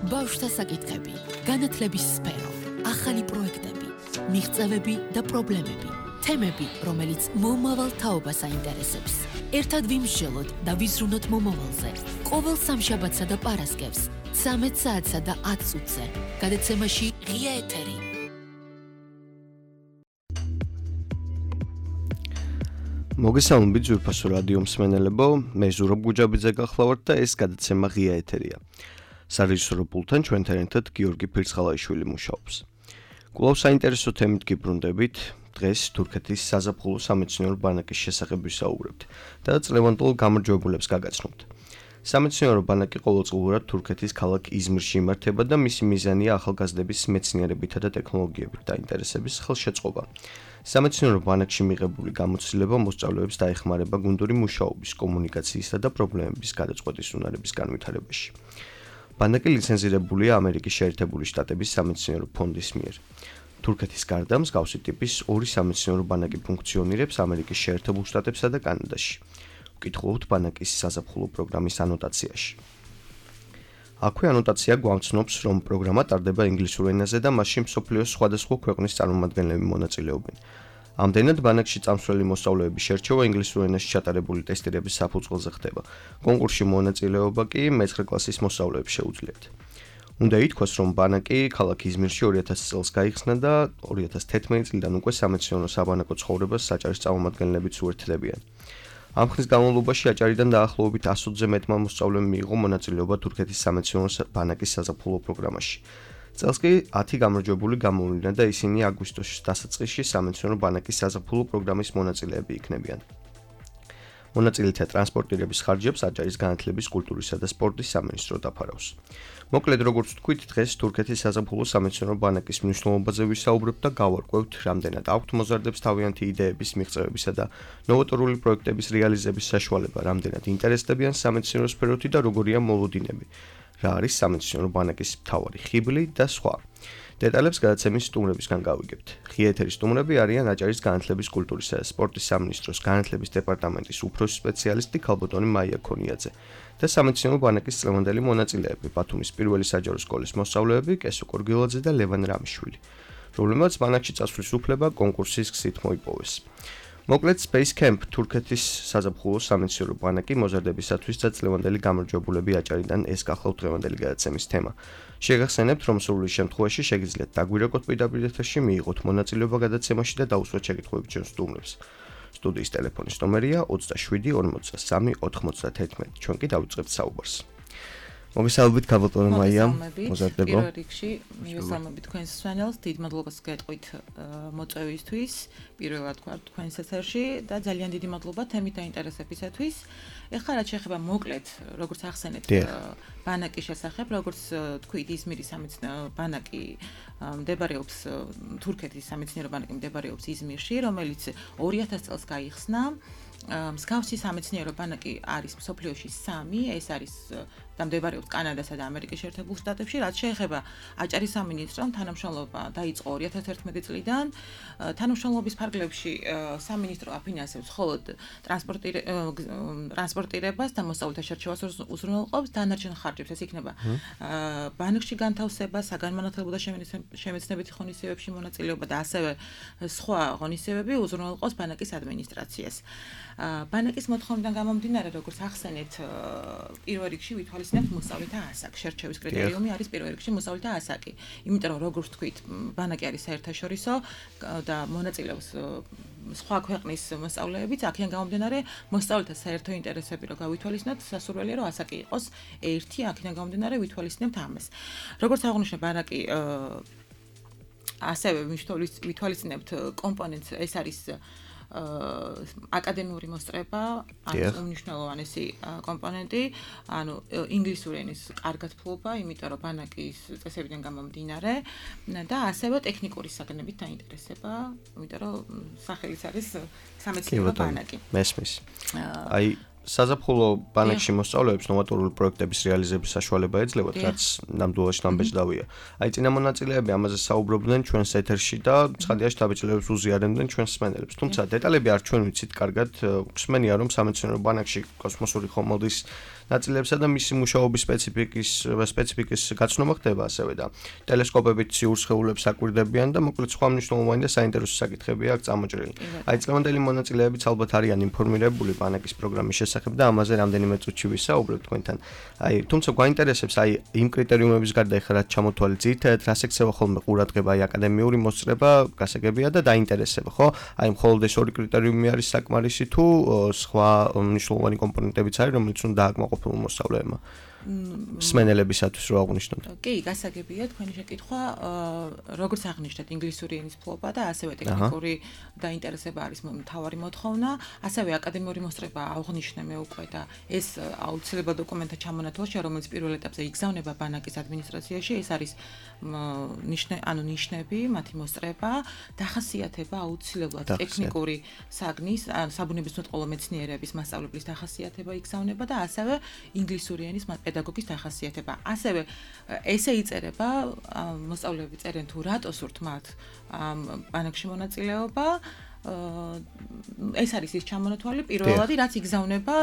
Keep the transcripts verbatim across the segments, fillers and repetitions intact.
ბავშვთა საკითხები, განათლების სფერო, ახალი პროექტები, მიღწევები და პრობლემები, თემები, რომელიც მომავალ თაობას აინტერესებს. ერთად ვიმსჯელოთ და ვიზრუნოთ მომავალზე. ყოველ სამშაბათსა და პარასკევს, ცამეტ საათსა და ათ წუთზე. გადაცემაში ღია ეთერი. მოგესალმებით ძვირფასო რადიო მსმენელებო, მე ზურაბ გუჯაბიძე გახლავართ და ეს გადაცემა ღია ეთერია. სარეჟისორო პულტთან ჩვენთან ერთად გიორგი ფირცხალაიშვილი მუშაობს. კვლავ საინტერესო თემით გიბრუნდებით. დღეს თურქეთის საზაფხულო სამეცნიერო ბანაკის შესახებ ვისაუბრებთ და წლევანდელ გამარჯვებულებს გაგაცნობთ. სამეცნიერო ბანაკი ყოველწლიურად თურქეთის ქალაქ იზმირში იმართება და მისი მიზანია ახალგაზრდების მეცნიერებითა და ტექნოლოგიებით დაინტერესების ხელშეწყობა. სამეცნიერო ბანაკში მიღებული გამოცდილება მოსწავლეებს დაეხმარება გუნდური მუშაობის, კომუნიკაციისა და პრობლემების გადაწყვეტის უნარების განვითარებაში. ბანაკი ლიცენზირებულია ამერიკის შეერთებული შტატების სამეცნიერო ფონდის მიერ. თურქეთის გარდა მსგავსი ტიპის ორი სამეცნიერო ბანაკი ფუნქციონირებს ამერიკის შეერთებულ შტატებსა და კანადაში. ვკითხულობთ ბანაკის საზაფხულო პროგრამის ანოტაციაში. აქვე ანოტაცია გვამცნობს, რომ პროგრამა ტარდება ინგლისურ ენაზე და მასში მსოფლიოს სხვადასხვა ქვეყნის წარმომადგენლები მონაწილეობენ. ამდენად ბანაკში წამსვლელი მოსწავლეების შერჩევა ინგლისურ ენაში ჩატარებული ტესტირების საფუძველზე ხდება. კონკურსში მონაწილეობა კი მეცხრე კლასის მოსწავლეებს შეუძლიათ. უნდა ითქვას, რომ ბანაკი ქალაქ იზმირში ორი ათასი წელს გაიხსნა და ორი ათას თერთმეტი წლიდან უკვე სამეცნიერო საბანაკო ცხოვრებას საჭარის წარმომადგენლებიც უერთდებიან. ამ ხნის განმავლობაში აჭარიდან დაახლოებით ას ოცზე მეტმა მოსწავლემ მიიღო მონაწილეობა თურქეთის სამეცნიერო ბანაკის საზაფხულო პროგრამაში. წელს კი ათი გამარჯვებული გამოვლინდა და ისინი აგვისტოს დასაწყისში სამეცნიერო ბანაკის საზაფხულო პროგრამის მონაწილეები იქნებიან. მონაწილეთა ტრანსპორტირების ხარჯებს აჭარის განათლების, კულტურისა და სპორტის სამინისტრო დაფარავს. მოკლედ, როგორც ვთქვით, დღეს თურქეთის საზაფხულო სამეცნიერო ბანაკის მნიშვნელობაზე ვისაუბრებთ და გავარკვევთ, რამდენად აქვთ მოზარდებს თავიანთი იდეების მიღწევებისა და ნოვატორული პროექტების რეალიზების საშუალება, რამდენად ინტერესდებიან სამეცნიერო სფეროთი და როგორია მოლოდინები, რა არის სამეცნიერო ბანაკის მთავარი ხიბლი და სხვა. დეტალებს გადაცემის სტუმრებისგან გავიგებთ. ღია ეთერის სტუმრები არიან აჭარის განათლების, კულტურისა და სპორტის სამინისტროს განათლების დეპარტამენტის უფროსი სპეციალისტი ქალბატონი მაია ქონიაძე და სამეცნიერო ბანაკის წლევანდელი მონაწილეები, ბათუმის პირველი საჯარო სკოლის მოსწავლეები კესო კორგილაძე და ლევან რამიშვილი, რომლებმაც ბანაკში წასვლის უფლება კონკურსის გზით მოიპოვეს. მოკლედ, Space Camp თურქეთის საზაფხულო სამეცნიერო ბანაკი მოზარდებისათვის და წლევანდელი გამარჯვებულები აჭარიდან ეს გახლავთ დღევანდელი გადაცემის თემა. შეგახსენებთ, რომ სრული შემთხვევაში შეგიძლიათ დაგვირეკოთ პირდაპირ ეთერში, მიიღოთ მონაწილეობა გადაცემაში და დაუსვათ შეკითხვები ჩვენ სტუმრებს. სტუდიის ტელეფონის ნომერია ოცდაშვიდი ორმოცდასამი ოთხმოცდათერთმეტი. ჩვენ კი დავიწყებთ საუბარს. მოგესალმებით ქალბატონო მაია, მოზარდებო. პირველ რიგში მოგესალმებით თქვენს მსმენელს, დიდ მადლობას გეტყვით მოწვევისთვის, პირველად თქვათ თქვენს ეთერში და ძალიან დიდი მადლობა თემით დაინტერესებისათვის. ეხლა რაც შეეხება მოკლედ, როგორც ახსენეთ, ბანაკის შესახებ, როგორც თქვით, იზმირის სამეცნიერო ბანაკი მდებარეობს თურქეთის სამეცნიერო ბანაკი მდებარეობს იზმირში, რომელიც ორი ათას წელს გაიხსნა. მსგავსი სამეცნიერო ბანაკი არის მსოფლიოში სამი, ეს არის და მდებარეობს კანადასა და ამერიკის შეერთებულ შტატებში, რაც შეეხება აჭარის სამინისტრომ თანამშრომლობა დაიწყო ორი ათას თერთმეტი წლიდან. თანამშრომლობის ფარგლებში სამინისტრო აფინანსებს მხოლოდ ტრანსპორტირებას და მოსწავლეთა შერჩევას უზრუნველყოფს, დანარჩენ ხარჯებს ეს იქნება ბანკში განთავსება, საგანმანათლებლო და შემეცნებითი ღონისძიებებში მონაწილეობა და ასევე სხვა ღონისძიებები უზრუნველყოფს ბანაკის ადმინისტრაციას. ბანაკის მოთხოვნიდან გამომდინარე, როგორც ახსენეთ, პირველ რიგში ვითვალისწინებთ მოსწავლეთა ასაკს. შერჩევის კრიტერიუმი არის პირველ რიგში მოსწავლეთა ასაკი. იმიტომ რომ როგორც თქვით, ბანაკი არის საერთაშორისო და მონაწილეობს სხვა ქვეყნის მოსწავლეებიც, აქედან გამომდინარე, მოსწავლეთა საერთო ინტერესები რო გავითვალისწინოთ, სასურველია რომ ასაკი იყოს ერთი, აქედან გამომდინარე ვითვალისწინებთ ამას. როგორც აღნიშნე, ბანაკი ასევე ვითვალისწინებთ კომპონენტს, ეს არის აკადემიური მოსწრება, ანუ უმნიშვნელოვანესი კომპონენტი, ანუ ინგლისური ენის კარგად ფლობა, იმიტომ რომ ბანაკის წესებიდან გამომდინარე და ასევე ტექნიკური საგნებით დაინტერესება, იმიტომ რომ სახელიც არის სამეცნიერო ბანაკი. მესმის. აი საზაფხულო ბანაკში მოსწავლეებს ნოვატორული პროექტების რეალიზების საშუალება ეძლევათ, რაც ნამდვილად ნამბეჭდავია. აი წინა მონაწილეები ამაზე საუბრობდნენ ჩვენს ეთერში და ცხადია შთაბეჭდილებას უზიარებდნენ ჩვენს მსმენელებს. თუმცა დეტალები არ ჩვენ ვიცით კარგად. გვსმენია რომ სამეცნიერო ბანაკში კოსმოსური ხომალდის ნაწილებსა და მისი მუშაობის სპეციფიკის სპეციფიკის გაცნობა ხდება ასევე და ტელესკოპებით ციურ სხეულებს აკვირდებიან და მოკლედ სხვა მნიშვნელოვანი და საინტერესო საკითხებია აქ წამოჭრილი. აი წლევანდელი მონაწილეებიც ალბათ არიან ინფორმირებული ბანაკის პროგრამის შესახებ და ამაზე რამდენიმე წუთში ვისაუბრებთ თქვენთან. აი თუმცა გვაინტერესებს აი იმ კრიტერიუმების გარდა ეხლა რაც ჩამოთვალე ძირითადად რას ექცევა ხოლმე ყურადღება აი აკადემიური მოსწრება, გასაგებია და დაინტერესება, ხო? აი მხოლოდ ეს ორი კრიტერიუმი არის საკმარისი თუ სხვა მნიშვნელოვანი კომპონენტებიც არის, რომელიც უნდა დააკმაყოფილონ მოსწავლეებმა. სმენელებისათვის რო აღნიშნოთ. კი, გასაგებია თქვენი შეკითხვა, როგორც აღნიშნეთ, ინგლისური ენის ფლობა და ასევე ტექნიკური დაინტერესება არის მთავარი მოთხოვნა, ასევე აკადემიური მოსწრება აღნიშნე მე უკვე და ეს აუცილებლად დოკუმენტთა ჩამონათვალში, რომელიც პირველ ეტაპზე იგზავნება ბანაკის ადმინისტრაციაში, ეს არის ნიშნე, ანუ ნიშნები, მათი მოსწრება, დახასიათება აუცილებლად ტექნიკური საგნის, ანუ საბუნებისმეტყველო მეცნიერების მასწავლებლის დახასიათება იგზავნება და ასევე ინგლისური ენის პედაგოგის დახასიათება. ასევე ესე იწერება, მოსწავლეები წერენ თუ რატო სურთ მათ ბანაკში მონაწილეობა, ეს არის ის ჩამონათვალი პირველადი, რაც იგზავნება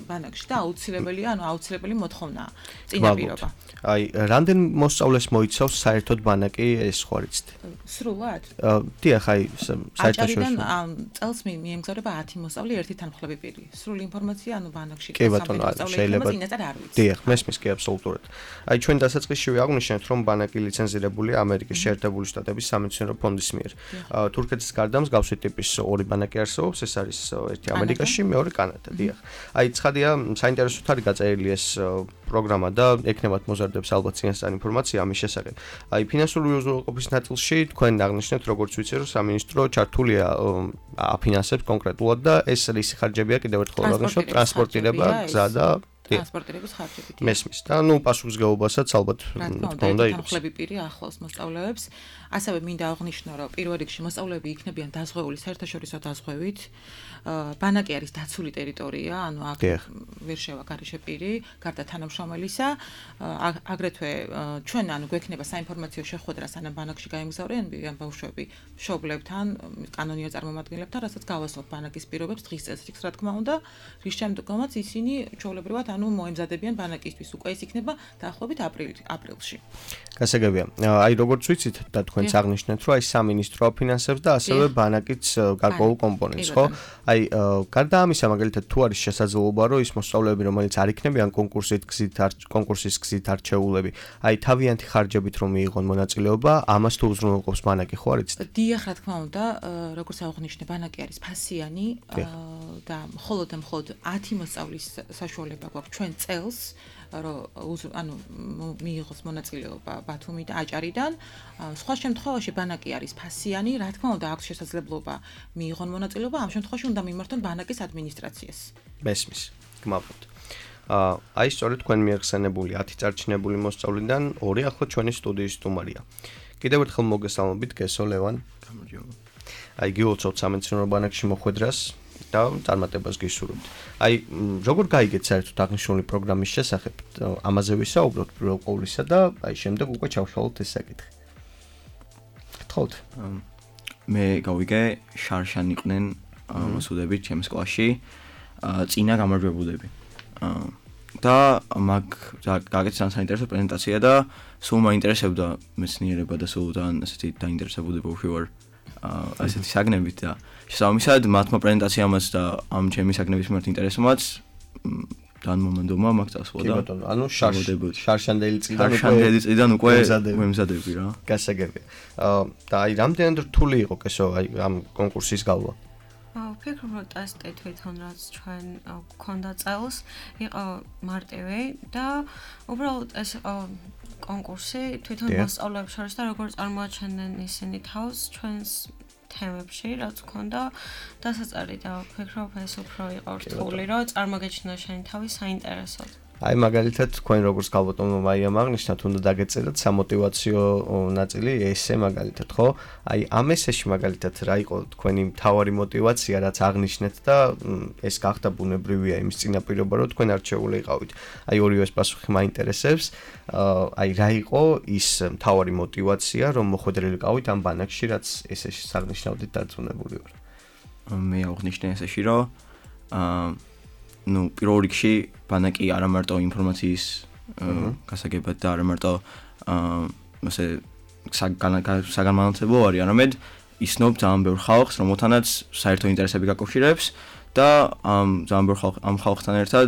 ბანაკში და აუცილებელია, ანუ აუცილებელი მოთხოვნაა წინაპირობა. აი, რამდენ მოსწავლეს მოიცავს საერთოდ ბანაკი ეს ხوارიცით? სრულად? დიახ, აი, საერთაშორისო. წელს მიემგზავრება ათი მოსწავლე, ერთი თანმხლები პირი. სრული ინფორმაცია, ანუ ბანაკში კი ბატონო, შეიძლება. დიახ, მესმის კი აბსოლუტურად. აი, ჩვენ დასაწყისშივე აღვნიშნეთ, რომ ბანაკი ლიცენზირებულია ამერიკის შეერთებული შტატების სამეცნიერო ფონდის მიერ. თურქეთის გარდა მსგავსი ტიპის ორი ბანაკი არსებობს, ეს არის ერთი ამერიკაში, მეორე კანადა, დიახ. აი, ცხადია, საინტერესოდ არის გაწერილი ეს პროგრამა და ექნებათ მოზარდებს ალბათ წინასწარ ინფორმაცია ამის შესახებ. აი, ფინანსური უზრუნველყოფის ნაწილში თქვენ აღნიშნეთ, როგორც ვიცი, რომ სამინისტრო ჩართულია აფინანსებს კონკრეტულად და ეს რისი ხარჯებია კიდევ ერთხელ აღნიშნოთ, ტრანსპორტირება, გზა და ტრანსპორტირების ხარჯები. მესმის და ნუ პასუხისგებლობასაც ალბათ თქმა უნდა იყოს. თანხლები პირი ახლავს მოსწავლეებს. ასევე მინდა აღნიშნო, რომ პირველ რიგში მოსწავლეები იქნებიან დაზღვეული საერთაშორისო დაზღვევით. ბანაკი არის დაცული ტერიტორია, ანუ აქ ვერ შევა გარეშე პირი, გარდა თანამშრომელისა. აგრეთვე ჩვენ ანუ გვექნება საინფორმაციო შეხვედრა სანამ ბანაკში გაემგზავრებიან ბავშვები მშობლებთან, კანონიერ წარმომადგენლებთან, რასაც გავასწორებთ ბანაკის პირობებს დღის წესრიგს, რა თქმა უნდა, რის შემდეგაც ისინი ჩვეულებრივად ანუ მოემზადებიან ბანაკისთვის. უკვე ეს იქნება დაახლოებით აპრილში. გასაგებია. აი როგორც ვიცით და თქვენც აღნიშნეთ, რომ აი სამინისტრო აფინანსებს და ასევე ბანაკიც გარკვეულ კომპონენტს, ხო? აი გარდა ამისა, მაგალითად თუ არის შესაძლებლობა, რომ ის მოსწავლეები, რომელიც არ იქნებიან კონკურსით გზით კონკურსის გზით არჩეულები, აი თავიანთი ხარჯებით რომ მიიღონ მონაწილეობა, ამას თუ უზრუნველყოფს ბანაკი, ხო არიცით? დიახ, რა თქმა უნდა, როგორც აღნიშნე, ბანაკი არის ფასიანი და მხოლოდ და მხოლოდ ათი მოსწავლის საშუალება გვაქვს ჩვენ წელს, რომ ანუ მიიღოს მონაწილეობა ბათუმი და აჭარიდან. სხვა შემთხვევაში ბანაკი არის ფასიანი, რა თქმა უნდა, აქვს შესაძლებლობა მიიღონ მონაწილეობა, ამ შემთხვევაში უნდა მიმართონ ბანაკის ადმინისტრაციას. მესმის, გმაბრობთ. აი სწორედ თქვენ მიეხსენებული ათი წარჩინებული მოსწავლიდან ორი ახლა ჩვენი სტუდიის სტუმარია. კიდევ ერთხელ მოგესალმებით, გესო ლევან. გამარჯობა. აი გიულწევთ სამეცნიერო ბანაკში მოხვედრას და წარმატებას გისურვებთ. აი როგორ გაიგეთ საერთოდ აღნიშნული პროგრამის შესახებ? ამაზე ვისაუბროთ პირველ ყოვლისა და აი შემდეგ უკვე ჩავშალოთ ეს საკითხი. გთხოვთ. მე გავიგე შარშან იყვნენ მოსუდები ჩემს კლასში, წინა გამარჯვებულები. და მაგ გაგეცან საინტერესო პრეზენტაცია და სულ მაინტერესებდა მეცნიერება და სულ თან ასეთი დაინტერესებული ბავშვი ვარ. ასეთი საგნებით და შესაბამისად მათმა პრეზენტაციამაც და ამ ჩემი საგნების მიმართ ინტერესმაც თან მომენტომა მაგ წასვლა და კი ბატონო, ანუ შარშანდელი წიდან უკვე შარშანდელი წიდან უკვე მემზადები რა. გასაგებია. და აი რამდენად რთული იყო კესო აი ამ კონკურსის გავლა? ვფიქრობ, რომ ტესტი თვითონ რაც ჩვენ გქონდა წელს, იყო მარტივი და უბრალოდ ეს კონკურსი თვითონ მოსწავლეებს შორის და როგორ წარმოაჩენენ ისინი თავს ჩვენს თემებში, რაც გქონდა დასაწერი და ვფიქრობ, ეს უფრო იყო რთული, რომ წარმოგეჩინა შენი თავი საინტერესოდ. აი მაგალითად თქვენ როგორც გალბატონო მაიამ აღნიშნათ, უნდა დაგეწერათ სამოტივაციო ნაწილი ესე მაგალითად, ხო? აი ამ ესეში მაგალითად რა იყო თქვენი მთავარი мотиваცია, რაც აღნიშნეთ და ეს გახდა ბუნებრივია იმის წინაპირობა, რომ თქვენ არჩეული იყავით. აი ორივე ეს პასუხი მაინტერესებს. აი რა იყო ის მთავარი мотиваცია, რომ მოხვედრილი ყავით ამ ბანაკში, რაც ესეში აღნიშნავდით დარწმუნებული ვარ. მე აღნიშნე ესეში, რომ აა ნუ პირველ რიგში ბანაკი არა მარტო ინფორმაციის გასაგებად და არა მარტო აა ასე საგანმანათლებლო არის, არამედ ისნობს ძალიან ბევრ ხალხს, რომელთანაც საერთო ინტერესები გაკავშირებს და ამ ძალიან ბევრ ხალხ ამ ხალხთან ერთად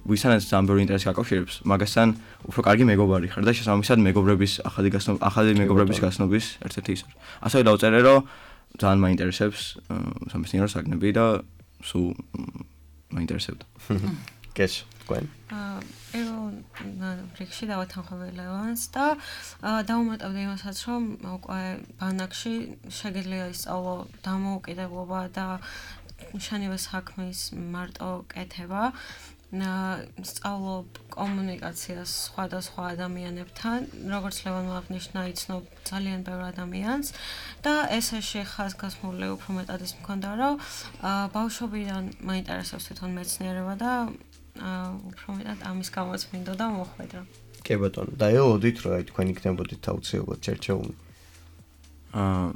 ვისთანაც ძალიან ბევრი ინტერესი გაკავშირებს, მაგასთან უფრო კარგი მეგობარი ხარ და შესაბამისად მეგობრების ახალი გასნობა, ახალი მეგობრების გასნობის ერთ-ერთი ის არის. ასევე დავწერე, რომ ძალიან მაინტერესებს სამეცნიერო საგნები და სულ მაინტერესებდა. კეშ, თქვენ? აა ერო რიგში დავათანხმები ლევანს და დავუმატებდი იმასაც, რომ უკვე ბანაკში შეგიძლია ისწავლო დამოუკიდებლობა და შენივე საქმის მარტო კეთება. სწავლობ კომუნიკაციას სხვადასხვა ადამიანებთან, როგორც ლევანმა აღნიშნა, იცნობ ძალიან ბევრ ადამიანს და ესეში ხაზგასმული უფრო მეტად ის მქონდა, რომ ბავშვობიდან მაინტერესებს თვითონ მეცნიერება და უფრო მეტად ამის გამოც მინდოდა მოხვედრა. კი ბატონო, და ელოდით რომ აი თქვენ იქნებოდით აუცილებლად ჩერჩეული. აა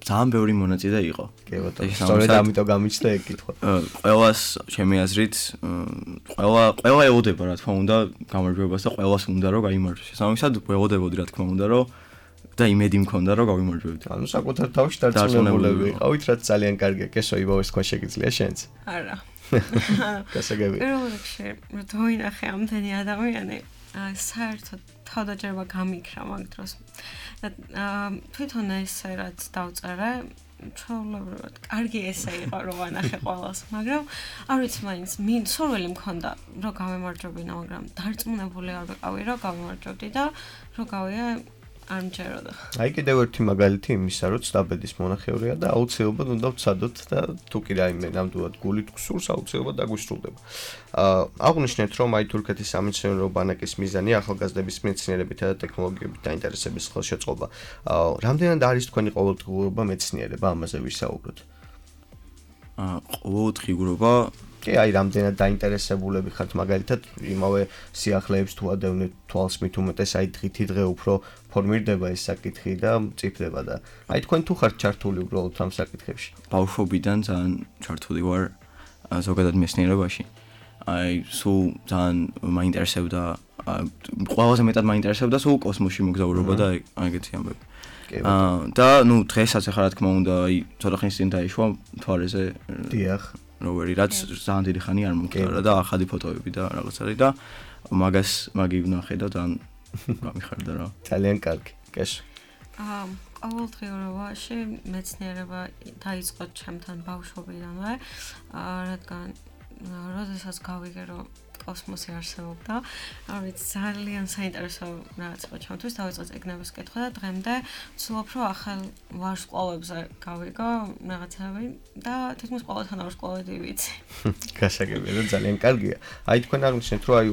ძალიან ბევრი მონაწილე იყო. კი ბატონო, სწორედ ამიტომ გამიჩნდა ეგ კითხვა. ყველას ჩემი აზრით, ყველა ყველა ელოდება რა თქმა უნდა გამარჯვებას და ყველას უნდა რომ გაიმარჯვოს. შესაბამისად ველოდებოდი რა თქმა უნდა რომ და იმედი მქონდა რომ გავიმარჯვებდი. ანუ საკუთარ თავში დარწმუნებულები იყავით, რაც ძალიან კარგია. კესო იბავეს თქვა შეგიძლია შენც? არა. გასაგები. პირველ რიგში, თუ ვინახე ამდენი ადამიანი, საერთოდ თავდაჯერება გამიქრა მაგ დროს. და თვითონ ესე რაც დავწერე, ჩვეულებრივად კარგი ესე იყო რომ ვანახე ყველას, მაგრამ არ ვიცი მაინც მინ სურვილი მქონდა რომ გავემარჯვებინა, მაგრამ დარწმუნებული არ ვიყავი რომ გავემარჯვებდი და რომ გავია არ მჯეროდა. აი კიდევ ერთი მაგალითი იმისა, რომ ცდაბედის მონახევრია და აუცილებლად უნდა ვცადოთ და თუ კი რაიმე ნამდვილად გულით გსურს, აუცილებლად დაგუსრულდება. აა აღნიშნეთ, რომ აი თურქეთის სამეცნიერო ბანაკის მიზანი ახალგაზრდების მეცნიერებითა და ტექნოლოგიებით დაინტერესების ხელშეწყობა. აა რამდენად არის თქვენი ყოველდღიურობა მეცნიერება, ამაზე ვისაუბროთ? აა ყოველდღიურობა კი, აი რამდენად დაინტერესებულები ხართ მაგალითად იმავე სიახლეებს თუ ადევნეთ თვალს მით უმეტეს აი დღითი დღე უფრო ფორმირდება ეს საკითხი და მწიფდება და აი თქვენ თუ ხართ ჩართული უბრალოდ ამ საკითხებში? ბავშვობიდან ძალიან ჩართული ვარ ზოგადად მეცნიერებაში. აი სულ ძალიან მაინტერესებდა, ყველაზე მეტად მაინტერესებდა სულ კოსმოსში მოგზაურობა და აი ეგეთი ამბები. აა და ნუ დღესაც ახლა რა თქმა უნდა აი ცოტა ხნის წინ დაიშვა მთვარეზე. დიახ. როვერი, რაც ძალიან დიდი ხანი არ მომხდარა და ახალი ფოტოები და რაღაც არის და მაგას მაგი ვნახე და ძალიან გამიხარდა რა. ძალიან კარგი. კეშ. აა ყოველდღიურობაში მეცნიერება დაიწყო ჩემთან ბავშვობიდანვე, აა რადგან როდესაც გავიგე რომ კოსმოსი არსებობდა, არ ვიცი ძალიან საინტერესო რაღაც იყო ჩემთვის, დავიწყე წიგნების კითხვა და დღემდე ვცდილობ რომ ახალ ვარსკვლავებზე გავიგო რაღაცები და თითქმის ყოველთან ვარსკვლავედი ვიცი. გასაგებია და ძალიან კარგია. აი თქვენ აღნიშნეთ რომ აი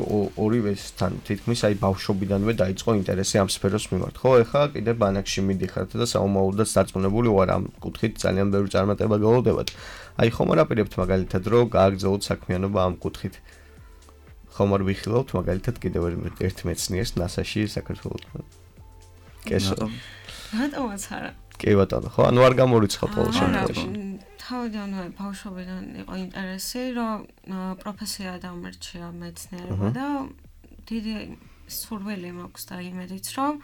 ორივესთან თითქმის აი ბავშვობიდანვე დაიწყო ინტერესი ამ სფეროს მიმართ. ხო, ეხლა კიდე ბანაკში მიდიხართ და საომავლოდაც დარწმუნებული ვარ ამ კუთხით ძალიან ბევრი წარმატება გველოდებათ. აი ხომ არ აპირებთ მაგალითად რომ გააგრძელოთ საქმიანობა ამ კუთხით? ხომ არ ვიხილავთ მაგალითად კიდევ ერთ მეცნიერს ნასაში საქართველოსთან. კესო. რატომაც არა? კი ბატონო, ხო, ანუ არ გამორიცხავთ ყოველ შემთხვევაში. თავიდანვე ბავშვობიდან იყო ინტერესი, რომ პროფესია დამერჩია მეცნიერება და დიდი სურვილი მაქვს და იმედიც, რომ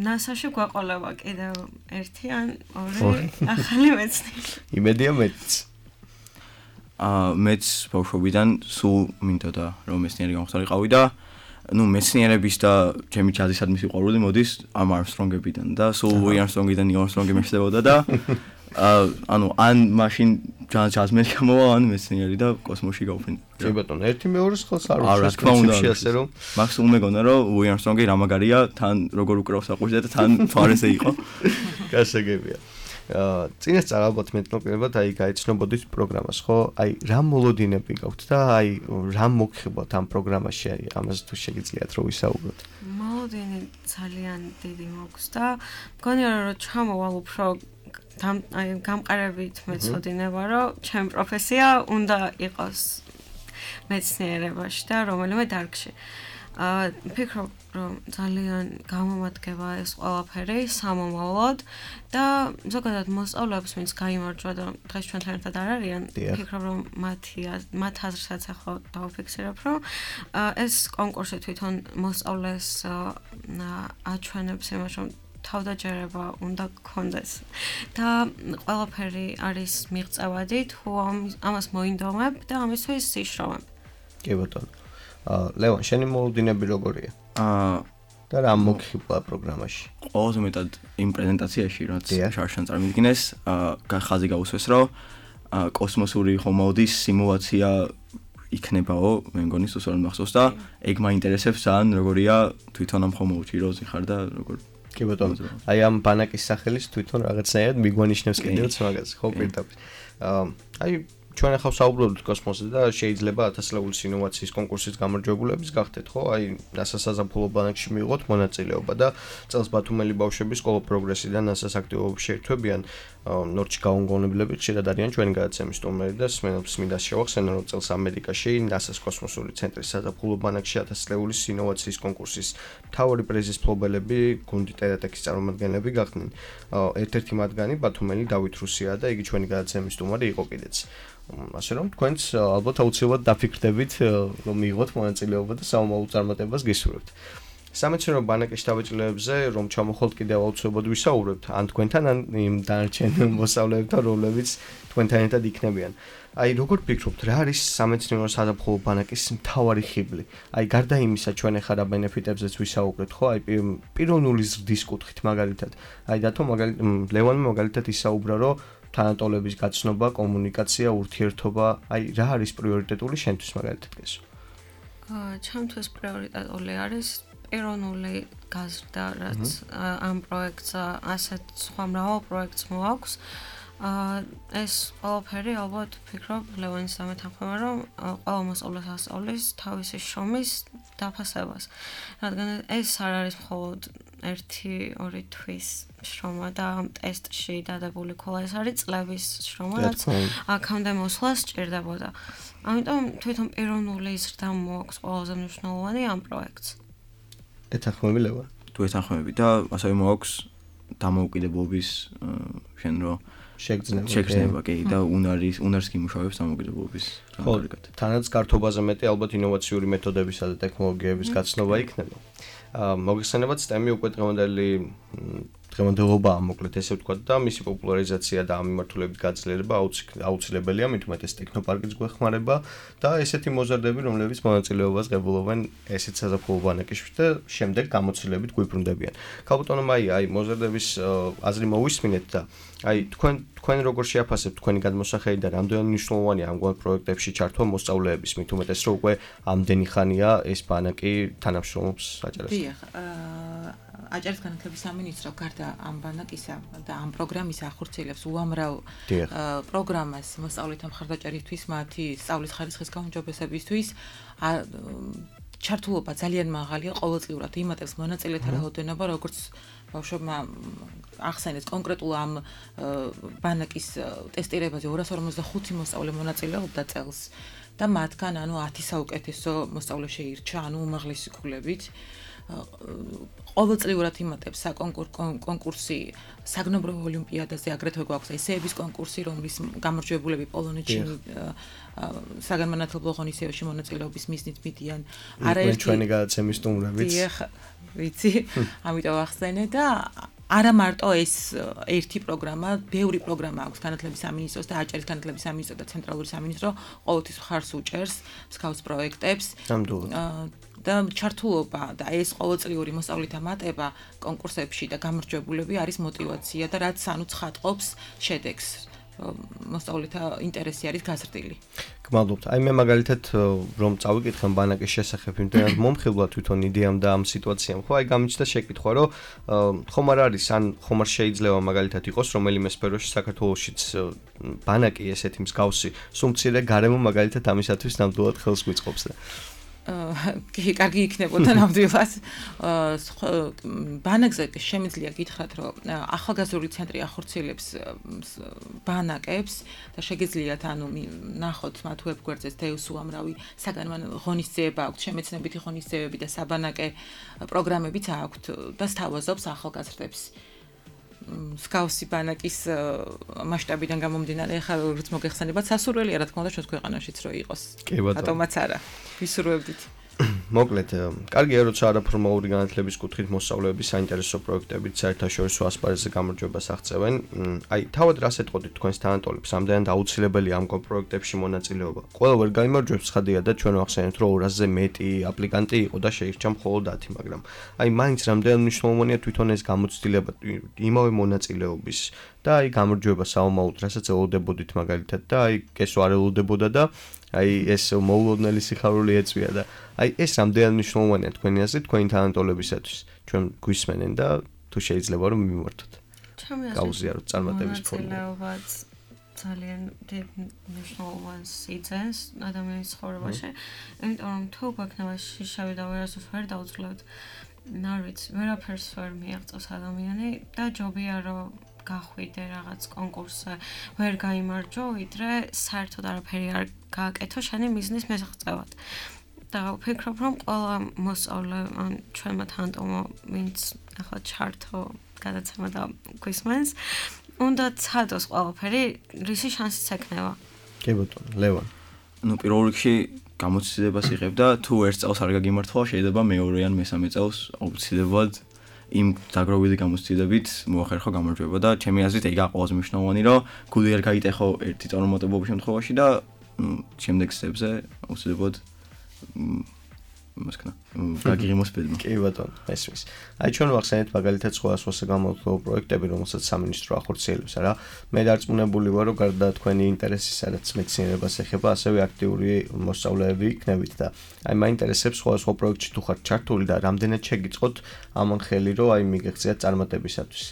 ნასაში გვაყოლება კიდევ ერთი ან ორი ახალი მეცნიერი. იმედია მეც. აა მეც ბავშვობიდან სულ მინდოდა რომ მეცნიერი გამხდარიყავი და ნუ მეცნიერების და ჩემი ჯაზისადმი სიყვარული მოდის ამ არმსტრონგებიდან და სულ ლუი არმსტრონგიდან ნილ არმსტრონგი მეშდებოდა და აა ანუ ან მაშინ ჯაზმენი გამოვა ან მეცნიერი და კოსმოსში გავფრინდა. კი ბატონო, ერთი მეორეს ხელს არ არა, თქმა უნდა, ასე რომ მაგს უმეგონა რომ ლუი არმსტრონგი რა მაგარია, თან როგორ უკრავს აყვიშდა და თან ფარესე იყო. გასაგებია. აა წინასწარ ალბათ მეტნაკლებად აი გაიცნობოდით პროგრამას, ხო? აი რა მოლოდინები გაქვთ და აი რა მოგხიბოთ ამ პროგრამაში, აი ამაზე თუ შეგიძლიათ რომ ვისაუბროთ. მოლოდინი ძალიან დიდი მაქვს და მგონია რომ ჩამოვალ უფრო აი გამყარებით მეცოდინება, რომ ჩემი პროფესია უნდა იყოს მეცნიერებაში და რომელიმე დარგში. აა ფიქრობ რომ ძალიან გამომადგება ეს ყველაფერი სამომავლოდ და ზოგადად მოსწავლეებს ვინც გაიმარჯვა და დღეს ჩვენთან ერთად არ არიან ფიქრობ რომ მათი მათ აზრსაც ახლა დავფიქსირებ რომ ეს კონკურსი თვითონ მოსწავლეს აჩვენებს იმას რომ თავდაჯერება უნდა გქონდეს და ყველაფერი არის მიღწევადი თუ ამას მოინდომებ და ამისთვის სიშროვე. კი ბატონო. აა ლევან, შენი მოლოდინები როგორია? აა და რა მოგხიბლა პროგრამაში? ყველაზე მეტად იმ პრეზენტაციაში რაც შარშან წარმოვიდგინეს, აა ხაზი გაუსვეს რომ კოსმოსური ხომალდის სიმულაცია იქნებაო, მე მგონი სულ მახსოვს და ეგ მაინტერესებს ძალიან როგორია თვითონ ამ ხომალდში როზი ხარ და როგორ კი ბატონო. აი ამ ბანაკის სახელის თვითონ რაღაცნაირად მიგვანიშნებს კიდევაც მაგას, ხო პირდაპირ. აა აი ჩვენ ახლა საუბრობთ კოსმოსზე და შეიძლება ათასლეულის ინოვაციის კონკურსის გამარჯვებულების გახდეთ, ხო? აი NASA საზაფხულო ბანაკში მიიღოთ მონაწილეობა და წელს ბათუმელი ბავშვები სკოლა პროგრესიდან NASA-ს აქტივობებში შეერთვებიან. ნორჩი გაუნგონებლები ხშირად არიან ჩვენი გადაცემის სტუმრები და სმენელს მინდა შევახსენო, რომ წელს ამერიკაში NASA-ს კოსმოსური ცენტრის საზაფხულო ბანაკში ათასლეულის ინოვაციის კონკურსის მთავარი პრიზის მფლობელები გუნდი ტერატექის წარმომადგენლები გახდნენ. ერთ-ერთი მათგანი ბათუმელი დავით რუსია და იგი ჩვენი გადაცემის სტუმარი იყო კიდეც. ასე რომ თქვენც ალბათ აუცილებლად დაფიქრდებით რომ მიიღოთ მონაწილეობა და სამომავლო წარმატებას გისურვებთ. სამეცნიერო ბანაკის შთაბეჭდილებებზე რომ ჩამოხვალთ კიდევ აუცილებლად ვისაუბრებთ ან თქვენთან ან იმ დანარჩენ მოსწავლეებთან რომლებიც თქვენთან ერთად იქნებიან. აი როგორ ფიქრობთ რა არის სამეცნიერო საზაფხულო ბანაკის მთავარი ხიბლი? აი გარდა იმისა ჩვენ ახლა რა ბენეფიტებზეც ვისაუბრეთ ხო? აი პიროვნული ზრდის კუთხით მაგალითად. აი დათო მაგალითად ლევანმა მაგალითად ისაუბრა რომ თანატოლების გაცნობა, კომუნიკაცია, ურთიერთობა, აი რა არის პრიორიტეტული შენთვის მაგალითად გესო? აა ჩემთვის პრიორიტეტული არის პიროვნული გაზრდა, რაც ამ პროექტს ასეთ სხვა მრავალ პროექტს მოაქვს. აა ეს ყველაფერი ალბათ ვფიქრობ ლევანის დამეთანხმება რომ ყველა მოსწავლეს ასწავლის თავისი შრომის დაფასებას. რადგან ეს არ არის მხოლოდ ერთი ორი თვის შრომა და ამ ტესტში დადებული ქოლა ეს არის წლების შრომა, რაც აქამდე მოსვლას სჭირდებოდა. ამიტომ თვითონ პიროვნული ზრდა მოაქვს ყველაზე მნიშვნელოვანი ამ პროექტს. ეთანხმები ლევან? თუ ეთანხმები და ასევე მოაქვს დამოუკიდებლობის შენ რო შეგრძნება. შეგრძნება კი და უნარის უნარს გიმუშავებს დამოუკიდებლობის რამგარიგად. თანაც გართობაზე მეტი ალბათ ინოვაციური მეთოდებისა და ტექნოლოგიების გაცნობა იქნება. აა მოგეხსენებათ STEM-ი უკვე დღევანდელი დღევანდელობაა მოკლედ ესე ვთქვათ და მისი პოპულარიზაცია და ამ მიმართულებით გაძლიერება აუცილებელია, მით უმეტეს ტექნოპარკის გვეხმარება და ესეთი მოზარდები, რომლებიც მონაწილეობას ღებულობენ ესეთ საზაფხულო ბანაკში და შემდეგ გამოცდილებით გვიბრუნდებიან. ქალბატონო მაია, აი მოზარდების აზრი მოვისმინეთ და აი თქვენ თქვენ როგორ შეაფასებთ თქვენი გადმოსახელი და რამდენად მნიშვნელოვანია ამგვარ პროექტებში ჩართვა მოსწავლეების, მით უმეტეს რომ უკვე ამდენი ხანია ეს ბანაკი თანამშრომლობს აჭარასთან. დიახ, აჭარის განათლების სამინისტრო გარდა ამ ბანაკისა და ამ პროგრამისა ახორციელებს უამრავ პროგრამას მოსწავლეთა მხარდაჭერისთვის, მათი სწავლის ხარისხის გაუმჯობესებისთვის. ჩართულობა ძალიან მაღალია, ყოველწლიურად იმატებს მონაწილეთა რაოდენობა, როგორც ბავშვებმა ახსენეს კონკრეტულ ამ ბანაკის ტესტირებაზე ორას ორმოცდახუთი მოსწავლე მონაწილეობდა წელს და მათგან ანუ ათი საუკეთესო მოსწავლე შეირჩა, ანუ უმაღლესი ქულებით. ყოველწლიურად იმატებს საკონკურსი საგნობრივ ოლიმპიადაზე, აგრეთვე გვაქვს ესეების კონკურსი, რომლის გამარჯვებულები პოლონეთში საგანმანათლებლო ღონისძიებაში მონაწილეობის მიზნით მიდიან. არაერთი ჩვენი გადაცემის სტუმრებიც. დიახ, ვიცი, ამიტომ ახსენე და არა მარტო ეს ერთი პროგრამა, ბევრი პროგრამა აქვს განათლების სამინისტროს და აჭარის განათლების სამინისტრო და ცენტრალური სამინისტრო ყოველთვის ხარს უჭერს მსგავს პროექტებს. და ჩართულობა და ეს ყოველწლიური მოსწავლეთა მატება კონკურსებში და გამარჯვებულები არის мотиваცია და რაც ანუ ცხადყოფს შედეგს. მოსწავლეთა ინტერესი არის გაზრდილი. გმადლობთ. აი მე მაგალითად რომ წავიკითხე ბანაკის შესახებ, იმდენად მომხიბლა თვითონ იდეამ და ამ სიტუაციამ, ხო, აი გამიჩნდა შეკითხვა, რომ ხომ არ არის, ან ხომ არ შეიძლება მაგალითად იყოს რომელიმე სფეროში საქართველოშიც ბანაკი ესეთი მსგავსი, სულ მცირე გარემო მაგალითად ამისათვის ნამდვილად ხელს გვიწყობს და კი, კარგი იქნებოდა ნამდვილად. ბანაკზე შემიძლია გითხრათ, რომ ახალგაზრდული ცენტრი ახორციელებს ბანაკებს და შეგიძლიათ ანუ ნახოთ მათ ვებგვერდზე დეუს უამრავი საგანმანათლებლო ღონისძიება აქვთ, შემეცნებითი ღონისძიებები და საბანაკე პროგრამებიც აქვთ და სთავაზობს ახალგაზრდებს. სკაუსი ბანაკის მასშტაბიდან გამომდინარე, ახლა როგორც მოგეხსენებათ, სასურველია რა თქმა უნდა ჩვენს ქვეყანაშიც რო იყოს. ბატონმაც არა. ვისურვებდით. მოკლედ, კარგია როცა არაფორმალური განათლების კუთხით მოსწავლეები საინტერესო პროექტებით საერთაშორისო ასპარეზზე გამარჯვებას აღწევენ. აი, თავად რას ეტყოდით თქვენს თანატოლებს, ამდენად აუცილებელია ამ პროექტებში მონაწილეობა. ყველა ვერ გაიმარჯვებს, ხადია და ჩვენ ვახსენებთ, რომ ორასზე მეტი აპლიკანტი იყო და შეირჩა მხოლოდ ათი, მაგრამ აი, მაინც რამდენად მნიშვნელოვანია თვითონ ეს გამოცდილება იმავე მონაწილეობის და აი გამარჯვება საომაოდ, რასაც ელოდებოდით მაგალითად და აი ეს არ ელოდებოდა და აი ეს მოულოდნელი სიხარული ეწვია და აი ეს რამდენად მნიშვნელოვანია თქვენი აზრით თქვენი თანატოლებისათვის ჩვენ გვისმენენ და თუ შეიძლება რომ მიმართოთ. გაუზიაროთ წარმატების ფორმულა. ძალიან დიდ მნიშვნელოვანს იძენს ადამიანის ცხოვრებაში. იმიტომ რომ თუ გვექნება შავი და ვერასდროს ვერ დავძლევთ, ნარვიც ვერაფერს ვერ მიაღწევს ადამიანი და ჯობია რომ გახვიდე რაღაც კონკურსზე, ვერ გაიმარჯვო, ვიდრე საერთოდ არაფერი არ გააკეთო შენი მიზნის მიღწევად. და ვფიქრობ, რომ ყველა მოსწავლე, ან ჩვენმა თანატოლმა, ვინც ახლა ჩართო გადაცემა და გვისმენს, უნდა ცადოს ყველაფერი, რისი შანსიც ექნება. კი ბატონო, ლევან. ნუ პირველ რიგში გამოცდილებას იღებ და თუ ერთ წელს არ გაგიმართლა, შეიძლება მეორე ან მესამე წელს აუცილებლად იმ დაგროვილი გამოცდილებით მოახერხო გამარჯვება და ჩემი აზრით ეგ ყველაზე მნიშვნელოვანი, რომ გული არ გაიტეხო ერთი წარუმატებლობის შემთხვევაში და შემდეგ სტეპზე აუცილებლად მასკნა გაგიღიმოს ბედმა. კი ბატონო, ესმის. აი ჩვენ ვახსენეთ მაგალითად სხვადასხვა სამომავლო პროექტები, რომელსაც სამინისტრო ახორციელებს, არა? მე დარწმუნებული ვარ, რომ გარდა თქვენი ინტერესის, სადაც მეცნიერებას ეხება, ასევე აქტიური მოსწავლეები იქნებით და აი მაინტერესებს სხვადასხვა პროექტში თუ ხართ ჩართული და რამდენად შეგიწყოთ ამან ხელი, რომ აი მიგეღწიათ წარმატებისათვის.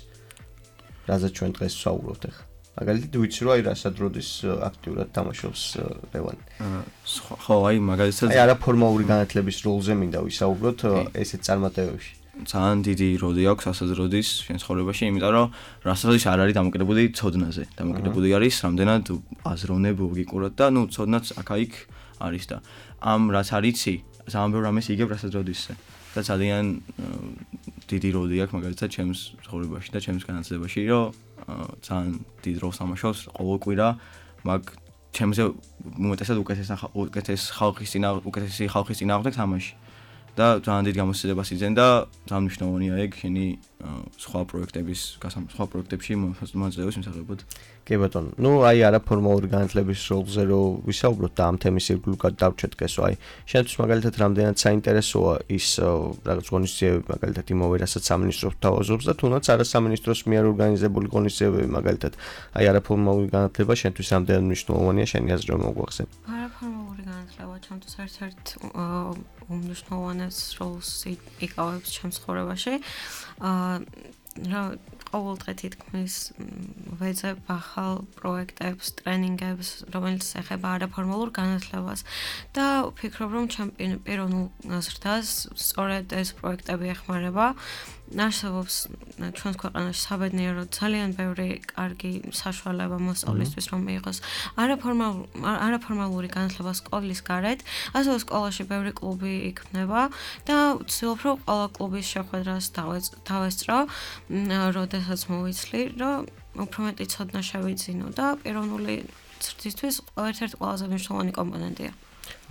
რაზეც ჩვენ დღეს ვსაუბრობთ ახლა. მაგალითად ვიცი რომ აი რასადროდის აქტიურად თამაშობს ლევანი. ხო, აი მაგალითად აი არაფორმალური განათლების როლზე მინდა ვისაუბროთ ესეთ წარმატებებში. ძალიან დიდი როლი აქვს რასადროდის შენ ცხოვრებაში, იმიტომ რომ რასადროდის არ არის დამოკიდებული ცოდნაზე. დამოკიდებული არის რამდენად აზროვნებ ლოგიკურად და ნუ ცოდნაც აქა-იქ არის და ამ რაც არიცი, ძალიან ბევრ რამეს იგებ რასადროდისზე. და ძალიან დიდი როლი აქვს მაგალითად ჩემს ცხოვრებაში და ჩემს განათლებაში, რომ ძალიან დიდ როლს თამაშობს ყოველკვირა, მაგ ჩემზე უმეტესად უკეთეს უკეთეს ხალხის წინა უკეთესი ხალხის წინააღმდეგ თამაში. და ძალიან დიდ გამოცდილებას იძენ და ძალიან მნიშვნელოვანია ეგ შენი სხვა პროექტების სხვა პროექტებში მონაწილეობის მიმსახურებად. კი ბატონო, ნუ აი არაფორმალური განათლების როლზე რო ვისაუბროთ და ამ თემის ირგვლივ დავჩეთ კესო, აი შენთვის მაგალითად რამდენად საინტერესოა ის რაღაც ღონისძიებები მაგალითად იმავე რასაც სამინისტროს თავაზობს და თუნდაც არასამინისტროს მიერ ორგანიზებული ღონისძიებები მაგალითად აი არაფორმალური განათლება შენთვის რამდენად მნიშვნელოვანია შენი აზრით რომ მოგვახსენ? არაფორმალური განათლება ჩემთვის ერთ-ერთ უმნიშვნელოვანეს როლს იკავებს ჩემს ცხოვრებაში. რა ყოველდღე თითქმის ვეძებ ახალ პროექტებს, ტრენინგებს, რომელიც ეხება არაფორმალურ განათლებას და ვფიქრობ, რომ ჩემ პიროვნულ ზრდას სწორედ ეს პროექტები ეხმარება. არსებობს ჩვენს ქვეყანაში საბედნიეროდ ძალიან ბევრი კარგი საშუალება მოსწავლისთვის, რომ მიიღოს არაფორმალური განათლება სკოლის გარეთ, ასევე სკოლაში ბევრი კლუბი იქმნება და ვცდილობ, რომ ყველა კლუბის შეხვედრას დავესწრო, როდესაც მოვიცლი, რომ უფრო მეტი ცოდნა შევიძინო და პიროვნული ზრდისთვის ერთ-ერთი ყველაზე მნიშვნელოვანი კომპონენტია.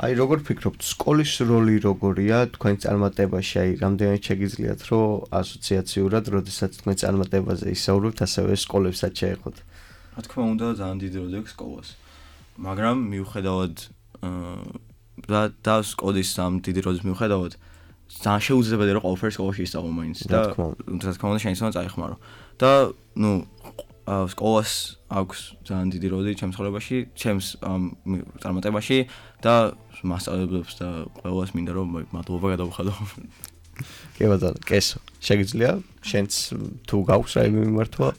აი როგორ ფიქრობთ, სკოლის როლი როგორია თქვენ წარმატებაში? აი რამდენად შეგიძლიათ, რომ ასოციაციურად, როდესაც თქვენ წარმატებაზე ისაუბრებთ, ასევე სკოლებსაც შეეხოთ? რა თქმა უნდა, ძალიან დიდი როლი აქვს სკოლას. მაგრამ მიუხედავად და და სკოლის ამ დიდი როლის მიუხედავად, ძალიან შეუძლებელია რომ ყველაფერი სკოლაში ისწავლო მაინც და რა თქმა უნდა შეიძლება წაიხმარო. და ნუ სკოლას აქვს ძალიან დიდი როლი ჩემს ცხოვრებაში, ჩემს წარმატებაში და მასწავლებლებს და ყველას მინდა რომ მადლობა გადავხადო. კი ბატონო, კესო. შეგიძლია შენც თუ გაქვს რაიმე მიმართვა?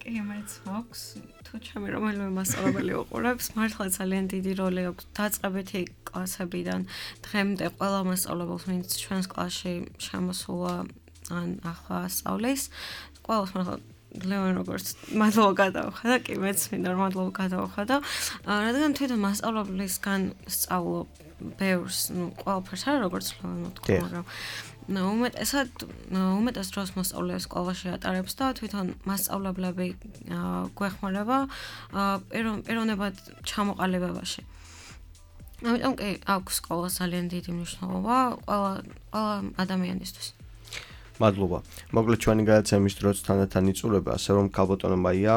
კი, მეც მაქვს. თუ თუ ჩემი რომელიმე მასწავლებელი უყურებს, მართლა ძალიან დიდი როლი აქვს დაწყებითი კლასებიდან დღემდე ყველა მასწავლებელს, ვინც ჩვენს კლასში შემოსულა ან ახლა სწავლის, ყველას მართლა ლევან როგორც მადლობა გადავხა და კი მეც მინდა რომ მადლობა გადავხა და რადგან თვითონ მასწავლებლისგან სწავლობ ბევრს, ну, ყველაფერს არა როგორც ლევან თქვა, მაგრამ უმეტესად უმეტეს დროს მასწავლებლებს სკოლაში ატარებს და თვითონ მასწავლებლები გვეხმარება პიროვნებად ჩამოყალიბებაში. ამიტომ კი აქვს სკოლას ძალიან დიდი მნიშვნელობა ყველა ყველა ადამიანისთვის. მადლობა. მოკლედ ჩვენი გადაცემის დროც თანდათან იწურება, ასე რომ ქალბატონო მაია,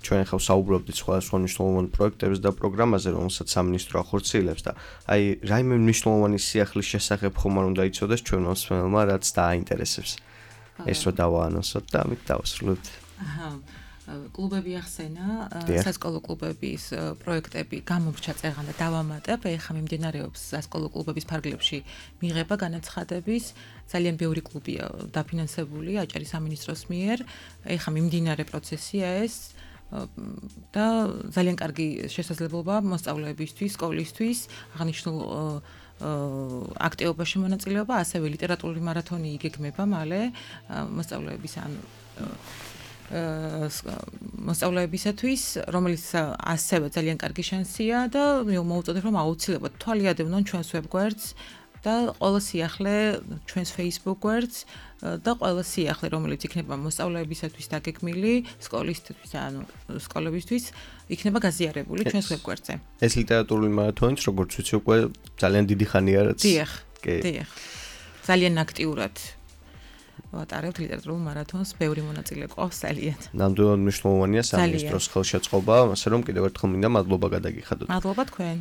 ჩვენ ახლა საუბრობდით სხვადასხვა მნიშვნელოვან პროექტებზე და პროგრამაზე, რომელსაც სამინისტრო ახორციელებს და აი რაიმე მნიშვნელოვანი სიახლის შესახებ ხომ არ უნდა იცოდეს ჩვენ მოსმენელმა, რაც დააინტერესებს. ეს რო დავაანონსოთ და ამით დავასრულებთ. აჰა. კლუბები ახსენა, სასკოლო კლუბების პროექტები გამორჩა წეღან და დავამატებ, ეხლა მიმდინარეობს სასკოლო კლუბების ფარგლებში მიღება განაცხადების, ძალიან ბევრი კლუბია დაფინანსებული აჭარის სამინისტროს მიერ, ეხლა მიმდინარე პროცესია ეს და ძალიან კარგი შესაძლებლობა მოსწავლეებისთვის, სკოლისთვის, აღნიშნულ აქტივობაში მონაწილეობა, ასევე ლიტერატურული მარათონი იგეგმება მალე მოსწავლეების ან მოსწავლეებისათვის, რომელიც ასევე ძალიან კარგი შანსია და მოვუწოდებ რომ აუცილებლად თვალიადევნონ ჩვენს ვებგვერდს და ყველა სიახლე ჩვენს Facebook გვერდს და ყველა სიახლე რომელიც იქნება მოსწავლეებისათვის დაგეგმილი, სკოლისთვის ანუ სკოლებისთვის იქნება გაზიარებული ჩვენს ვებგვერდზე. ეს ლიტერატურული მარათონიც როგორც ვიცი უკვე ძალიან დიდი ხანია რაც. დიახ. დიახ. ძალიან აქტიურად ვატარებთ ლიტერატურულ მარათონს, ბევრი მონაწილე ყავს ძალიან. ნამდვილად მნიშვნელოვანია სამინისტროს ხელშეწყობა, ასე რომ კიდევ ერთხელ მინდა მადლობა გადაგიხადოთ. მადლობა თქვენ.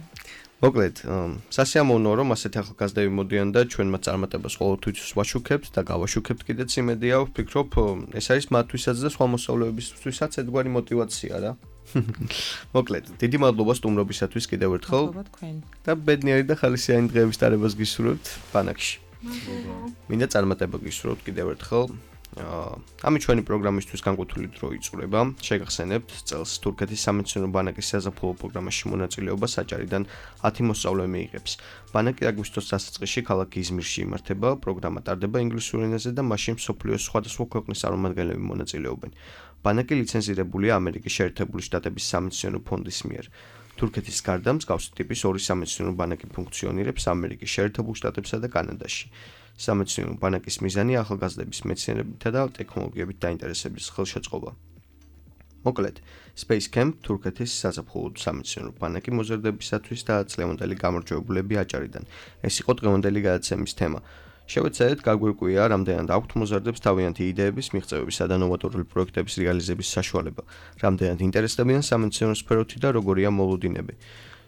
მოკლედ, სასიამოვნოა რომ ასეთი ახალგაზრდები მოდიან და ჩვენ მათ წარმატებას ყოველთვის ვაშუქებთ და გავაშუქებთ კიდეც იმედია, ვფიქრობ, ეს არის მათთვისაც და სხვა მოსწავლეებისთვისაც ერთგვარი мотиваცია რა. მოკლედ, დიდი მადლობა სტუმრობისათვის კიდევ ერთხელ. მადლობა თქვენ. და ბედნიერი და ხალისიანი დღეების ტარებას გისურვებთ ბანაკში. მინდა წარმატება გისურვოთ კიდევ ერთხელ. ამით ჩვენი პროგრამისთვის განკუთვნილი დრო იწურება. შეგახსენებთ წელს თურქეთის სამეცნიერო ბანაკის საზაფხულო პროგრამაში მონაწილეობა საჭარიდან ათი მოსწავლე მიიღებს. ბანაკი აგვისტოს დასაწყისში ქალაქ იზმირში იმართება, პროგრამა ტარდება ინგლისურ ენაზე და მასში მსოფლიოს სხვადასხვა ქვეყნის წარმომადგენლები მონაწილეობენ. ბანაკი ლიცენზირებულია ამერიკის შეერთებული შტატების სამეცნიერო ფონდის მიერ. თურქეთის გარდა მსგავსი ტიპის ორი სამეცნიერო ბანაკი ფუნქციონირებს ამერიკის შეერთებულ შტატებსა და კანადაში. სამეცნიერო ბანაკის მიზანია ახალგაზრდების მეცნიერებითა და ტექნოლოგიებით დაინტერესების ხელშეწყობა. მოკლედ, Space Camp თურქეთის საზაფხულო სამეცნიერო ბანაკი მოზარდებისათვის და წლევანდელი გამარჯვებულები აჭარიდან. ეს იყო დღევანდელი გადაცემის თემა. შევეცადეთ გაგვირკვია, რამდენად აქვთ მოზარდებს თავიანთი იდეების, მიღწევებისა და ნოვატორული პროექტების რეალიზების საშუალება, რამდენად ინტერესდებიან სამეცნიერო სფეროთი და როგორია მოლოდინები.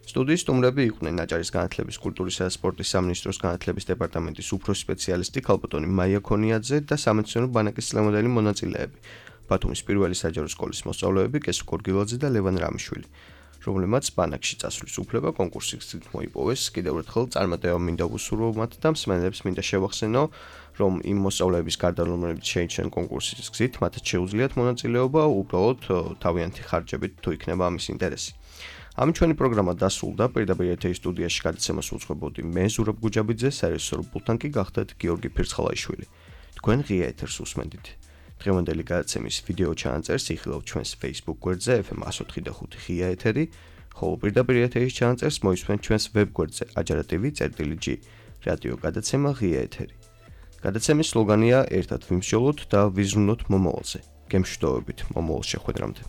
სტუდიის სტუმრები იყვნენ აჭარის განათლების, კულტურისა და სპორტის სამინისტროს განათლების დეპარტამენტის უფროსი სპეციალისტი ქალბატონი მაია ქონიაძე და სამეცნიერო ბანაკის წლევანდელი მონაწილეები, ბათუმის პირველი საჯარო სკოლის მოსწავლეები კესო გორგილაძე და ლევან რამიშვილი, რომლებმაც ბანაკში წასვლის უფლება კონკურსის გზით მოიპოვეს. კიდევ ერთხელ წარმატება მინდა ვუსურვო მათ და მსმენელებს მინდა შევახსენო, რომ იმ მოსწავლეების გარდა რომლებიც შეიჩნენ კონკურსის გზით, მათაც შეუძლიათ მონაწილეობა უბრალოდ თავიანთი ხარჯებით თუ იქნება ამის ინტერესი. ამით ჩვენი პროგრამა დასრულდა. პირდაპირ ეთერის სტუდიაში გადაცემას უძღვებოდი მე ზურაბ გუჯაბიძე, საერთაშორისო პულტთან კი გახდათ გიორგი ფირცხალაიშვილი. თქვენ ღია ეთერს უსმენდით. დღევანდელი გადაცემის ვიდეო ჩანაწერს იხილავთ ჩვენს Facebook გვერდზე ეფ ემ εκατო ოთხი და ხუთი ღია ეთერი, ხოლო პირდაპირ ეთერის ჩანაწერს მოისმენთ ჩვენს ვებ გვერდზე ajarativi.gr რადიო გადაცემა ღია ეთერი. გადაცემის სლოგანია ერთად ვიმსჯელოთ და ვიზრუნოთ მომავალზე. გემშვიდობებით მომავალ შეხვედრამდე.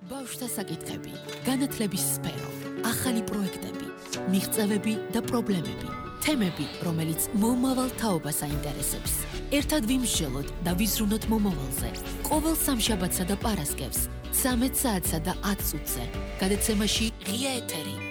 ბავშვთა საკითხები, განათლების სფერო, ახალი პროექტები, მიღწევები და პრობლემები, თემები, რომელიც მომავალ თაობას აინტერესებს. ერთად ვიმსჯელოთ და ვიზრუნოთ მომავალზე. ყოველ სამშაბათსა და პარასკევს, ცამეტ საათსა და ათ წუთზე. გადაცემაში ღია ეთერი.